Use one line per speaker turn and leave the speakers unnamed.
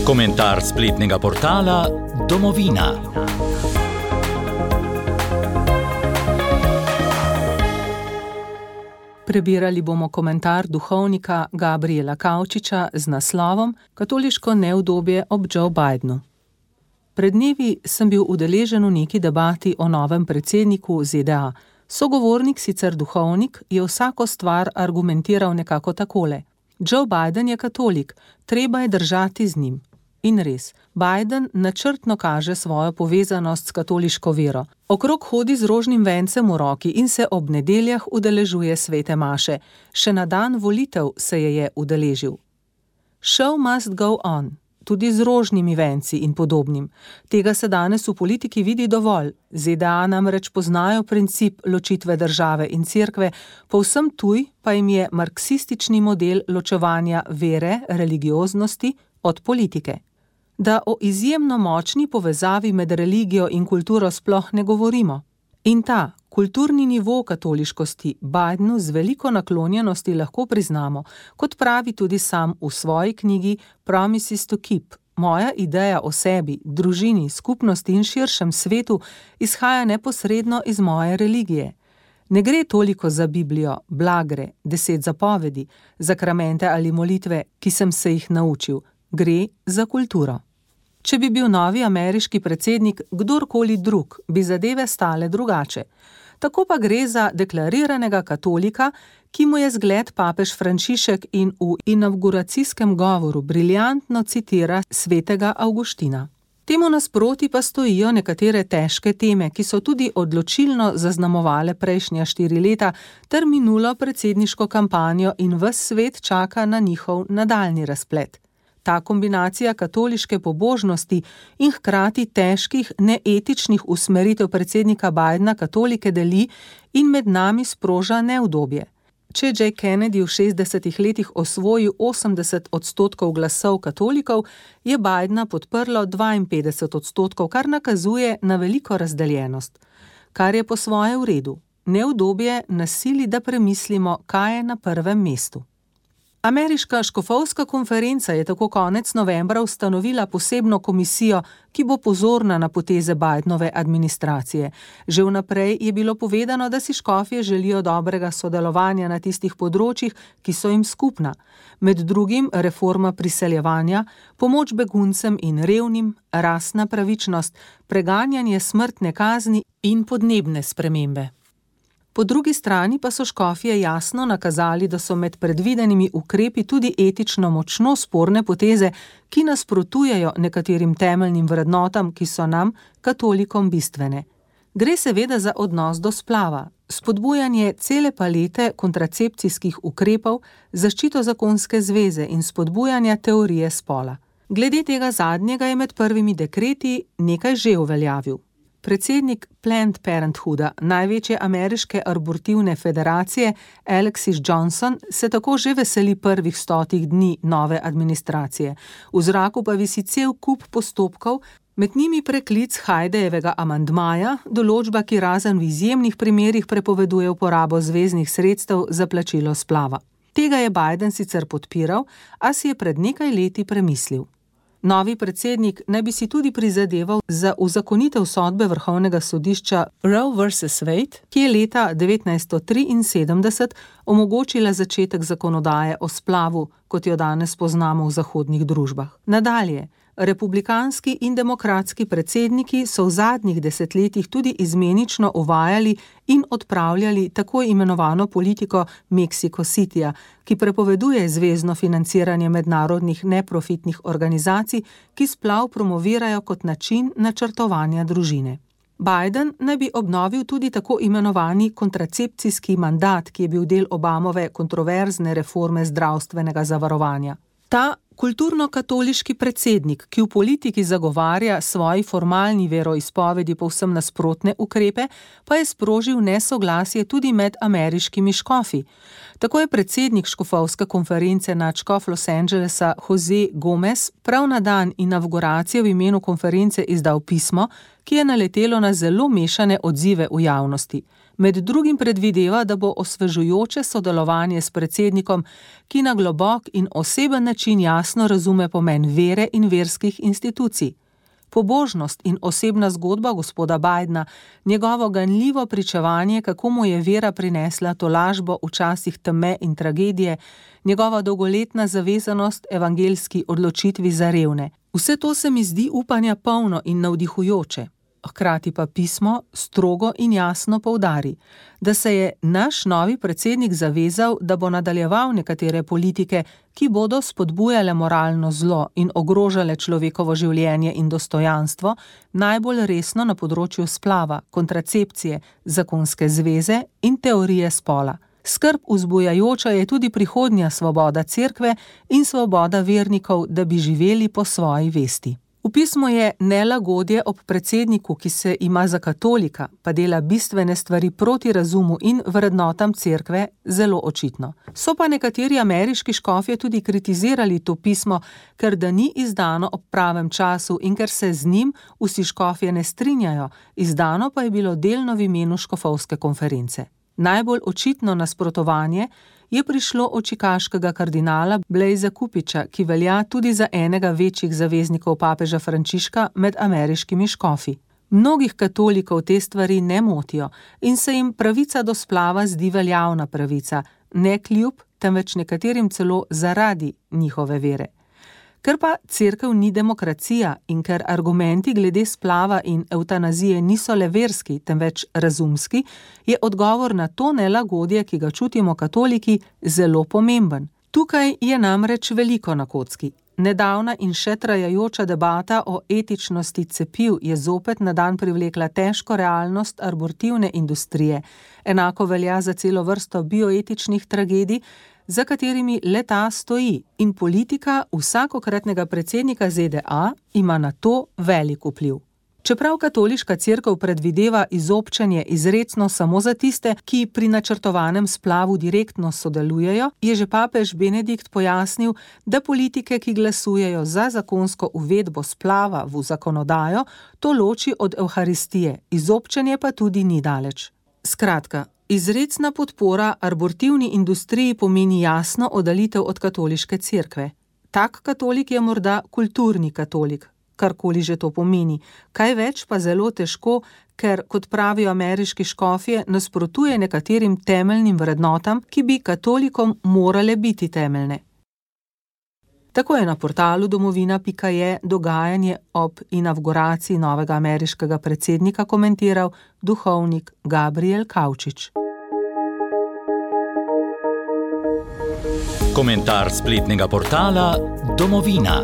Komentar spletnega portala Domovina.
Prebirali bomo komentar duhovnika Gabriela Kavčiča z naslovom Katoliško neudobje ob Joe Bidenu. Pred dnevi sem bil udeležen v neki debati o novem predsedniku ZDA. Sogovornik, sicer duhovnik, je vsako stvar argumentiral nekako takole. Joe Biden je katolik, treba je držati z njim. In res, Biden načrtno kaže svojo povezanost s katoliško vero. Okrog hodi z rožnim vencem v roki in se ob nedeljah udeležuje svete maše. Še na dan volitev se je udeležil. Show must go on, tudi z rožnimi venci in podobnim. Tega se danes v politiki vidi dovolj. ZDA namreč poznajo princip ločitve države in cerkve, povsem tuj pa jim je marksistični model ločevanja vere, religioznosti od politike. Da o izjemno močni povezavi med religijo in kulturo sploh ne govorimo. In ta kulturni nivo katoliškosti Bidenu z veliko naklonjenosti lahko priznamo, kot pravi tudi sam v svoji knjigi Promises to Keep. Moja ideja o sebi, družini, skupnosti in širšem svetu izhaja neposredno iz moje religije. Ne gre toliko za Biblijo, blagre, 10 zapovedi, zakramente ali molitve, ki sem se jih naučil. Gre za kulturo. Če bi bil novi ameriški predsednik kdorkoli drug, bi zadeve stale drugače. Tako pa gre za deklariranega katolika, ki mu je zgled papež Frančišek in v inavguracijskem govoru briljantno citira svetega Avguština. Temu nasproti pa stojijo nekatere težke teme, ki so tudi odločilno zaznamovale prejšnja 4 leta ter minulo predsedniško kampanjo in ves svet čaka na njihov nadaljnji razplet. Ta kombinacija katoliške pobožnosti in hkrati težkih, neetičnih usmeritev predsednika Bidena katolike deli in med nami sproža neudobje. Če J. Kennedy v 60 letih osvojil 80% glasov katolikov, je Bidena podprlo 52%, kar nakazuje na veliko razdeljenost. Kar je po svoje v redu. Neudobje nas sili, da premislimo, kaj je na prvem mestu. Ameriška škofovska konferenca je tako konec novembra ustanovila posebno komisijo, ki bo pozorna na poteze Bidenove administracije. Že vnaprej je bilo povedano, da si škofje želijo dobrega sodelovanja na tistih področjih, ki so jim skupna. Med drugim reforma priseljevanja, pomoč beguncem in revnim, rasna pravičnost, preganjanje smrtne kazni in podnebne spremembe. Po drugi strani pa so škofje jasno nakazali, da so med predvidenimi ukrepi tudi etično močno sporne poteze, ki nasprotujejo nekaterim temeljnim vrednotam, ki so nam, katolikom, bistvene. Gre seveda za odnos do splava, spodbujanje cele palete kontracepcijskih ukrepov, zaščito zakonske zveze in spodbujanja teorije spola. Glede tega zadnjega je med prvimi dekreti nekaj že uveljavil. Predsednik Planned Parenthooda, največje ameriške abortivne federacije, Alexis Johnson, se tako že veseli prvih 100 dni nove administracije. V zraku pa visi cel kup postopkov, med njimi preklic Haidejevega amandmaja, določba, ki razen v izjemnih primerih prepoveduje uporabo zveznih sredstev za plačilo splava. Tega je Biden sicer podpiral, a si je pred nekaj leti premislil. Novi predsednik naj bi si tudi prizadeval za uzakonitev sodbe Vrhovnega sodišča Roe vs. Wade, ki je leta 1973 omogočila začetek zakonodaje o splavu, kot jo danes poznamo v zahodnih družbah. Nadalje, republikanski in demokratski predsedniki so v zadnjih desetletjih tudi izmenično uvajali in odpravljali tako imenovano politiko Mexico Cityja, ki prepoveduje zvezno financiranje mednarodnih neprofitnih organizacij, ki splav promovirajo kot način načrtovanja družine. Biden naj bi obnovil tudi tako imenovani kontracepcijski mandat, ki je bil del Obamove kontroverzne reforme zdravstvenega zavarovanja. Ta kulturno-katoliški predsednik, ki v politiki zagovarja svoji formalni veroizpovedi povsem nasprotne ukrepe, pa je sprožil nesoglasje tudi med ameriškimi škofi. Tako je predsednik škofovske konference nadškof Los Angelesa Jose Gomez prav na dan inavguracije v imenu konference izdal pismo, ki je naletelo na zelo mešane odzive v javnosti. Med drugim predvideva, da bo osvežujoče sodelovanje s predsednikom, ki na globok in oseben način jasno razume pomen vere in verskih institucij. Pobožnost in osebna zgodba gospoda Bidna, njegovo ganljivo pričevanje, kako mu je vera prinesla tolažbo v časih teme in tragedije, njegova dolgoletna zavezanost evangeljski odločitvi za revne. Vse to se mi zdi upanja polno in navdihujoče. Hkrati pa pismo strogo in jasno poudari, da se je naš novi predsednik zavezal, da bo nadaljeval nekatere politike, ki bodo spodbujale moralno zlo in ogrožale človekovo življenje in dostojanstvo, najbolj resno na področju splava, kontracepcije, zakonske zveze in teorije spola. Skrb vzbujajoča je tudi prihodnja svoboda cerkve in svoboda vernikov, da bi živeli po svoji vesti. V pismu je nelagodje ob predsedniku, ki se ima za katolika, pa dela bistvene stvari proti razumu in vrednotam cerkve, zelo očitno. So pa nekateri ameriški škofje tudi kritizirali to pismo, ker da ni izdano ob pravem času in ker se z njim vsi škofje ne strinjajo, izdano pa je bilo delno v imenu škofovske konference. Najbolj očitno nasprotovanje je prišlo od čikaškega kardinala Blaisa Cupiča, ki velja tudi za enega večjih zaveznikov papeža Frančiška med ameriškimi škofi. Mnogih katolikov te stvari ne motijo in se jim pravica do splava zdi veljavna pravica, ne kljub, temveč nekaterim celo zaradi njihove vere. Ker pa cerkev ni demokracija in ker argumenti glede splava in evtanazije niso le verski, temveč razumski, je odgovor na to nelagodje, ki ga čutimo katoliki, zelo pomemben. Tukaj je namreč veliko na kocki. Nedavna in še trajajoča debata o etičnosti cepiv je zopet na dan privlekla težko realnost abortivne industrije. Enako velja za celo vrsto bioetičnih tragedij, za katerimi le-ta stoji, in politika vsakokratnega predsednika ZDA ima na to velik vpliv. Čeprav katoliška cerkev predvideva izobčenje izrecno samo za tiste, ki pri načrtovanem splavu direktno sodelujejo, je že papež Benedikt pojasnil, da politike, ki glasujejo za zakonsko uvedbo splava v zakonodajo, to loči od evharistije, izobčenje pa tudi ni daleč. Skratka, izrecna podpora abortivni industriji pomeni jasno oddalitev od katoliške cerkve. Tak katolik je morda kulturni katolik, karkoli že to pomeni, kaj več pa zelo težko, ker, kot pravijo ameriški škofje, nasprotuje nekaterim temeljnim vrednotam, ki bi katolikom morale biti temeljne. Tako je na portalu domovina.je dogajanje ob inavguraciji novega ameriškega predsednika komentiral duhovnik Gabriel Kavčič.
Komentar spletnega portala Domovina.